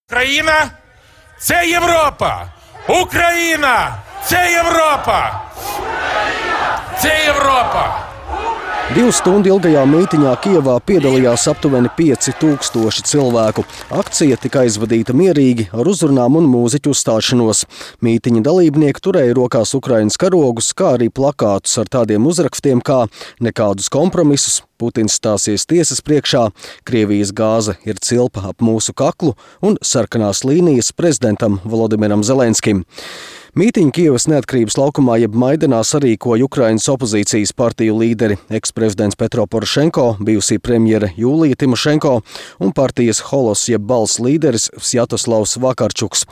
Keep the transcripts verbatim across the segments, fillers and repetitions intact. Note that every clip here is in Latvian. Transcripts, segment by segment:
Україна – це Європа! Україна – це Європа! Це Європа! Divu stundu ilgajā mītiņā Kijevā piedalījās aptuveni pieci tūkstoši cilvēku. Akcija tika aizvadīta mierīgi ar uzrunām un mūziķu uzstāšanos. Mītiņa dalībnieki turēja rokās Ukrainas karogus, kā arī plakātus ar tādiem uzrakstiem kā nekādus kompromisus, Putins stāsies tiesas priekšā, Krievijas gāze ir cilpa ap mūsu kaklu un sarkanās līnijas prezidentam Volodimiram Zelenskim. Mītiņu Kijevas neatkarības laukumā jeb Maidanā sarīkoja Ukrainas opozīcijas partiju līderi, eksprezidents Petro Porošenko, bijusī premjere Jūlija Timošenko un partijas Holos jeb Balss līderis Svjatoslavs Vakarčuks.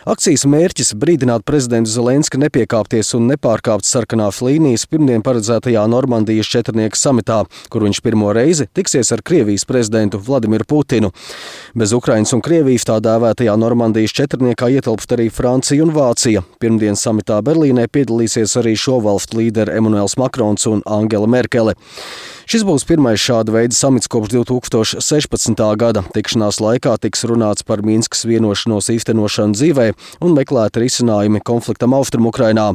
Akcijas mērķis brīdināt prezidentu Zelenski nepiekāpties un nepārkāpt sarkanās līnijas pirmdien paredzētajā Normandijas četrnieka samitā, kur viņš pirmo reizi tiksies ar Krievijas prezidentu Vladimiru Putinu. Bez Ukrainas un Krievijas tā dēvētajā Normandijas četrniekā ietilpst arī Francija un Vācija. Pirmdien samitā Berlīnē piedalīsies arī šo valstu līderi Emanuels Makrons un Angela Merkele. Šis būs pirmais šāda veida samits kopš divi tūkstoši sešpadsmitā gada. Tikšanās laikā tiks runāts par Minskas vienošanos īstenošanu dzīvē un meklēti risinājumi konfliktam Austrumukrainā.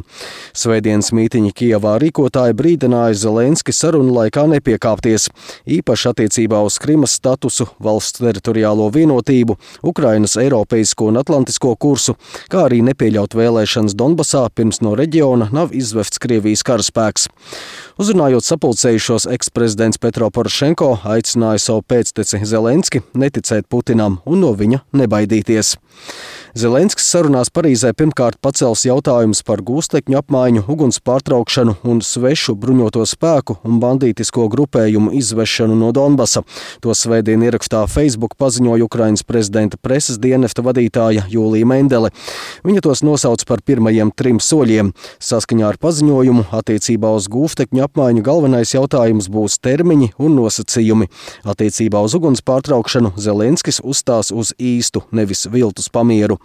Svētdienas mītiņa Kijevā rīkotāji brīdināja Zelenski sarunu laikā nepiekāpties, īpaši attiecībā uz Krimas statusu, valsts teritoriālo vienotību, Ukrainas eiropeisko un atlantisko kursu, kā arī nepieļaut vēlēšanas Donbasā, pirms no reģiona nav izvests Krievijas karaspēks. Uzrunājot sapulcējušos, eksprezidents Petro Porošenko aicināja savu pēcteci Zelenski neticēt Putinam un no viņa nebaidīties. Zelenskis sarunās Parīzē pirmkārt pacels jautājumus par gūstekņu apmaiņu, uguns pārtraukšanu un svešu bruņoto spēku un bandītisko grupējumu izvešanu no Donbasa. To svētdien ierakstā Facebook paziņoja Ukrainas prezidenta preses dienesta vadītāja Jūlija Mendele. Viņa tos nosauc par pirmajiem trim soļiem. Saskaņā ar paziņojumu attiecībā uz gūstekņu apmaiņu galvenais jautājums būs termiņi un nosacījumi. Attiecībā uz uguns pārtraukšanu Zelenskis uzstās uz īstu, nevis viltus pamieru.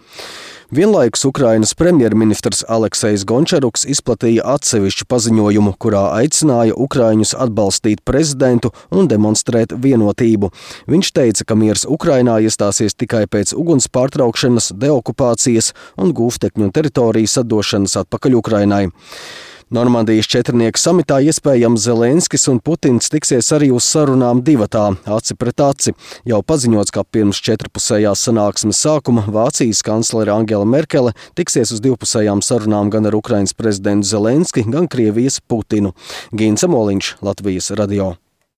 Vienlaikus Ukrainas premjerministrs Aleksejs Gončaruks izplatīja atsevišķu paziņojumu, kurā aicināja ukraiņus atbalstīt prezidentu un demonstrēt vienotību. Viņš teica, ka miers Ukrainā iestāsies tikai pēc uguns pārtraukšanas, deokupācijas un gūstekņu teritorijas atdošanas atpakaļ Ukrainai. Normandijas četrnieka samitā iespējams Zelenskis un Putins tiksies arī uz sarunām divatā, aci pret aci. Jau paziņots, ka pirms četrpusējās sanāksmes sākuma Vācijas kanclere Angela Merkele tiksies uz divpusējām sarunām gan ar Ukrainas prezidentu Zelenski, gan Krievijas Putinu. Gīns Amoliņš, Latvijas radio.